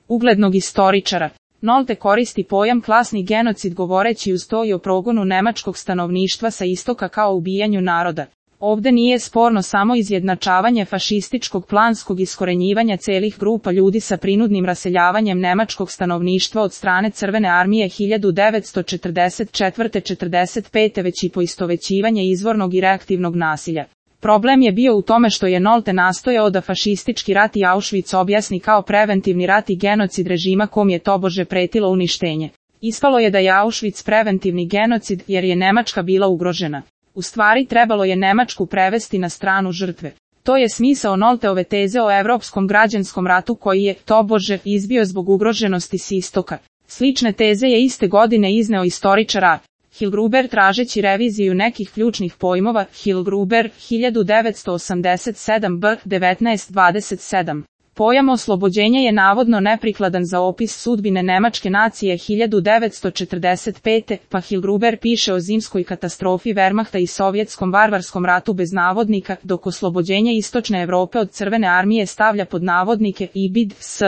uglednog istoričara. Nolte koristi pojam klasni genocid govoreći uz to i o progonu nemačkog stanovništva sa istoka kao ubijanju naroda. Ovde nije sporno samo izjednačavanje fašističkog planskog iskorenjivanja celih grupa ljudi sa prinudnim raseljavanjem nemačkog stanovništva od strane Crvene armije 1944-45, već i poistovećivanje izvornog i reaktivnog nasilja. Problem je bio u tome što je Nolte nastojao da fašistički rat i Auschwitz objasni kao preventivni rat i genocid režima kom je tobože pretilo uništenje. Ispalo je da je Auschwitz preventivni genocid jer je Nemačka bila ugrožena. U stvari trebalo je Nemačku prevesti na stranu žrtve. To je smisao Nolteove teze o evropskom građanskom ratu koji je, tobože, izbio zbog ugroženosti s istoka. Slične teze je iste godine izneo istoričar A. Hilgruber tražeći reviziju nekih ključnih pojmova. Hilgruber, 1987 b. 1927. Pojam oslobođenja je navodno neprikladan za opis sudbine nemačke nacije 1945. pa Hilgruber piše o zimskoj katastrofi Wehrmachta i sovjetskom varvarskom ratu bez navodnika, dok oslobođenje istočne Evrope od Crvene armije stavlja pod navodnike IBID s.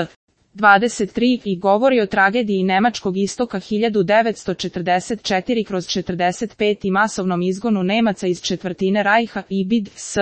23 i govori o tragediji nemačkog istoka 1944/45 i masovnom izgonu Nemaca iz četvrtine Rajha IBID s.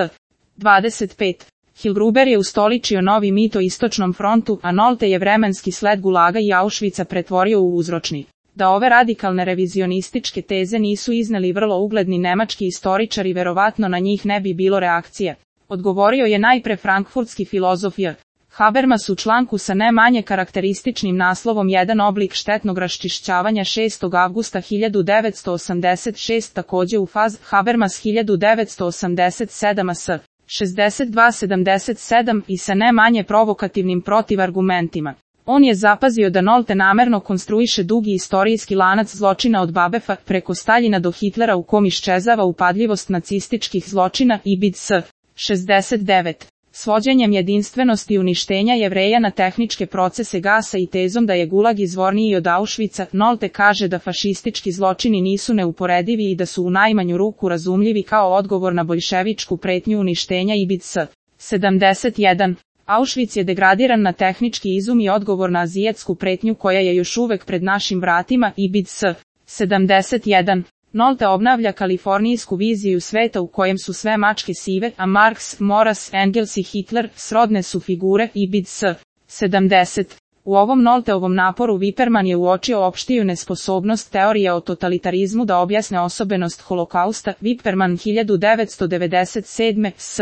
25. Hilgruber je ustoličio novi mit o istočnom frontu, a Nolte je vremenski sled Gulaga i Auschwitza pretvorio u uzročni. Da ove radikalne revizionističke teze nisu izneli vrlo ugledni nemački istoričari, verovatno na njih ne bi bilo reakcije. Odgovorio je najpre frankfurtski filozof J. Habermas u članku sa ne manje karakterističnim naslovom Jedan oblik štetnog raščišćavanja 6. avgusta 1986, takođe u faz Habermas 1987 s. 62-77 i sa ne manje provokativnim protivargumentima. On je zapazio da Nolte namerno konstruiše dugi istorijski lanac zločina od Babefa preko Staljina do Hitlera u kom iščezava upadljivost nacističkih zločina IBID s. 69. Svođenjem jedinstvenosti uništenja Jevreja na tehničke procese gasa i tezom da je Gulag izvorniji od Auschwitza, Nolte kaže da fašistički zločini nisu neuporedivi i da su u najmanju ruku razumljivi kao odgovor na boljševičku pretnju uništenja IBID s. 71. Auschwitz je degradiran na tehnički izum i odgovor na azijetsku pretnju koja je još uvek pred našim vratima IBID s. 71. Nolte obnavlja kalifornijsku viziju sveta u kojem su sve mačke sive, a Marx, Maurras, Engels i Hitler srodne su figure IBID s. 70. U ovom Nolteovom naporu Wipperman je uočio opštiju nesposobnost teorije o totalitarizmu da objasne osobenost holokausta. Wipperman 1997 s.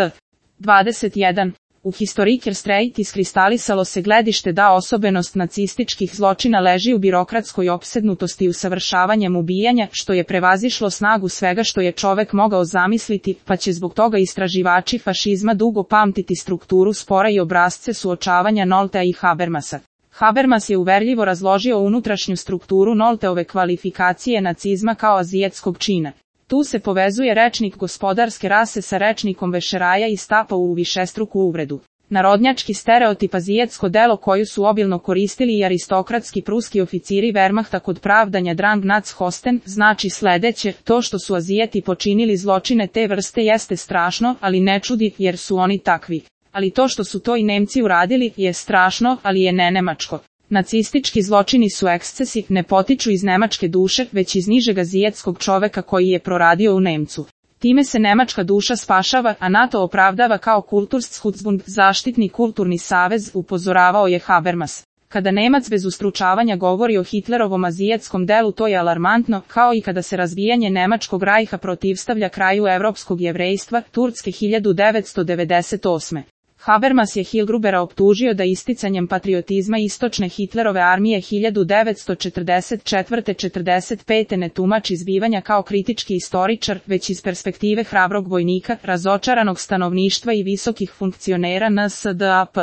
21. U Historiker Streit iskristalisalo se gledište da osobenost nacističkih zločina leži u birokratskoj opsednutosti usavršavanjem ubijanja, što je prevazišlo snagu svega što je čovek mogao zamisliti, pa će zbog toga istraživači fašizma dugo pamtiti strukturu spora i obrasce suočavanja Noltea i Habermasa. Habermas je uverljivo razložio unutrašnju strukturu Nolteove kvalifikacije nacizma kao azijetskog čina. Tu se povezuje rečnik gospodarske rase sa rečnikom vešeraja i stapa u višestruku uvredu. Narodnjački stereotip azijetsko delo koju su obilno koristili i aristokratski pruski oficiri Wehrmachta kod pravdanja Drang nach Osten znači sledeće: to što su Azijeti počinili zločine te vrste jeste strašno, ali ne čudi jer su oni takvi. Ali to što su to i Nemci uradili je strašno, ali je nenemačko. Nacistički zločini su ekscesi, ne potiču iz nemačke duše, već iz nižeg azijetskog čoveka koji je proradio u Nemcu. Time se nemačka duša spašava, a NATO opravdava kao Kulturschutzbund, zaštitni kulturni savez, upozoravao je Habermas. Kada Nemac bez ustručavanja govori o Hitlerovom azijetskom delu, to je alarmantno, kao i kada se razbijanje nemačkog rajha protivstavlja kraju evropskog jevrejstva, Turske 1998. Habermas je Hilgrubera optužio da isticanjem patriotizma istočne Hitlerove armije 1944-45 ne tumači zbivanja kao kritički istoričar, već iz perspektive hrabrog vojnika, razočaranog stanovništva i visokih funkcionera NSDAP.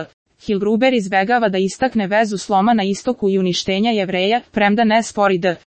Hilgruber izbegava da istakne vezu sloma na istoku i uništenja Jevreja, premda ne spori da